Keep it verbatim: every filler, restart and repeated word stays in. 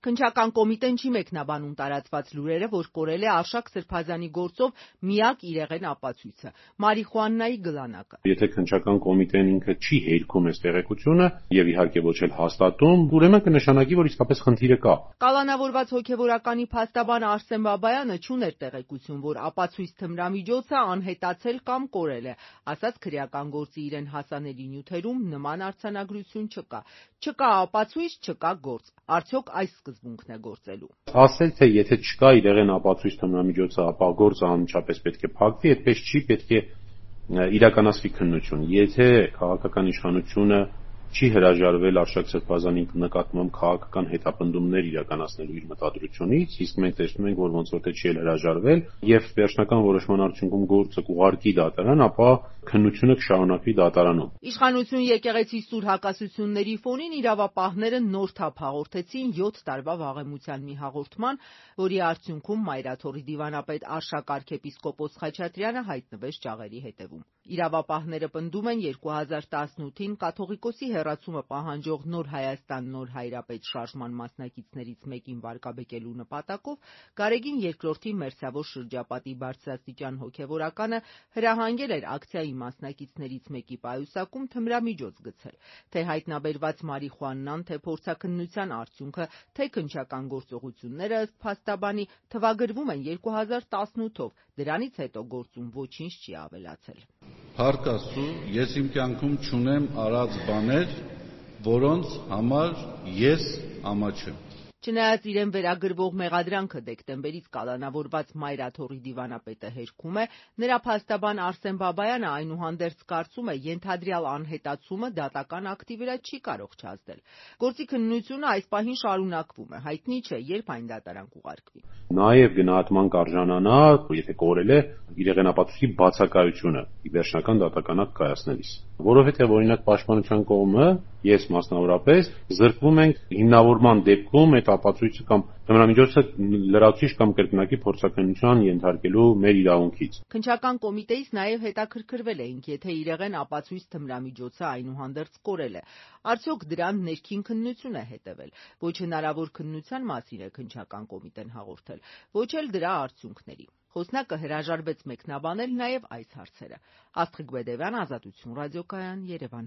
Քննչական կոմիտեն չի մեկնաբանում տարածված լուրերը, որ կորել է Արշակ Սրբազանի գործով միակ իրեղեն ապացույցը՝ մարիխուանայի գլանակը։ Եթե քննչական կոմիտեն ինքը չի հերքում այս տեղեկությունը եւ իհարկե ոչ էլ հաստատում, ուրեմն կնշանակի, որ իսկապես խնդիրը կա։ Կալանավորված հոգեվորականի փաստաբան Արսեն Բաբայանը չուներ տեղեկություն, որ ապացույց թմրամիջոցը անհետացել կամ կորել է, ասաց քրեական գործի իրեն հասանելի նյութերում նման արձանագրություն չկա։ Չկա ապացույց, չկա գործ։ Արդյոք այս սկզբունքն է գործելու։ Ասել թե եթե չկա իրեղեն ապացույց թմրամիջոցը, ապա գործը անմիջապես պետք է փակվի, այդպես չի, պետք է իրականացվի քննություն։ Եթե քաղաքական իշխանությունը չի հրաժարվել Արշակ Սրբազանի նկատմամբ քաղաքական հետապնդումներ իրականացնելու իր մտադրությունից, իսկ մենք տեսնում ենք, որ ոնց որ թե չի էլ հրաժարվել եւ վերջնական որոշման արդյունքում գործը կուղարկի դատարան, ապա քննությունը կշարունակվի դատարանում։ Իշխանություն եկեղեցի սուր հակասությունների ֆոնին իրավապահները նոր թափ հաղորդեցին յոթ տարվա վաղեմության մի հաղորդման, որի արդյունքում Մայրաթորի դիվանապետ Արշակ arczepiskopos Խաչատրյանը հայտնվեց ճաղերի հետևում։ Իրավապահները պնդում են երկու հազար տասնութին կաթողիկոսի հեռացումը պահանջող Նոր Հայաստան Նոր Հայրապետ շարժման մասնակիցներից մեկին վարկաբեկելու նպատակով Գարեգին երկրորդի Մերձավոր շրջապատի բարձրաստիճան հոգևորականը հրահանգել էր ակցիայի մասնակիցներից մեկի պայուսակում թմրամիջոց գցել, թե հայտնաբերված մարիխուանան, թե փորձաքննության արդյունքը, թե քննչական գործողությունները ըստ փաստաբանի թվագրվում են երկու հազար տասնութով, դրանից հետո գործում ոչինչ չի ավելացել։ Փառք Աստծո, ես իմ կյանքում չունեմ արած բաներ, որոնց համար ես ամաչեմ։ Չնայած իրեն վերագրվող մեղադրանքը դեկտեմբերից կալանավորված Մայրաթորի դիվանապետը հերքում է, նրա փաստաբան Արսեն Բաբայանը այնուհանդերձ կարծում է, ենթադրյալ անհետացումը դատական ակտի վրա չի կարող չազդել։ Գործի քննությունը այս պահին շարունակվում է, հայտնի չէ, երբ այն դատարան կուղարկվի։ Նաև գնահատման կարժանանա, եթե կորել է իրեղեն ապացույցի բացակայությունը վերջնական դատական ակտ կայացնելիս։ Որովհետև օրինակ պաշտպանության կողմը, ես մասնավորապես, զրկվում ենք հիմնավորման դեպքում այդ ապացույցը կամ թմրամիջոցը լրացուցիչ կամ կրկնակի փորձաքննության ենթարկելու մեր իրավունքից։ Քննչական կոմիտեից նաև հետաքրքրվել էինք, եթե իրեղեն ապացույց թմրամիջոցը այնուհանդերձ կորել է, արդյոք դրան ներքին քննություն է հետևել։ Ոչ հնարավոր քննության մասին է քննչական կոմիտեն հաղորդել, ոչ էլ դրա արդյունքների։ Խոսնակը հրաժարվեց մեկնաբանել նաև այս հարցերը։ Աստղիկ Բեդևյան, Ազատություն ռադիոկայան, Երևան։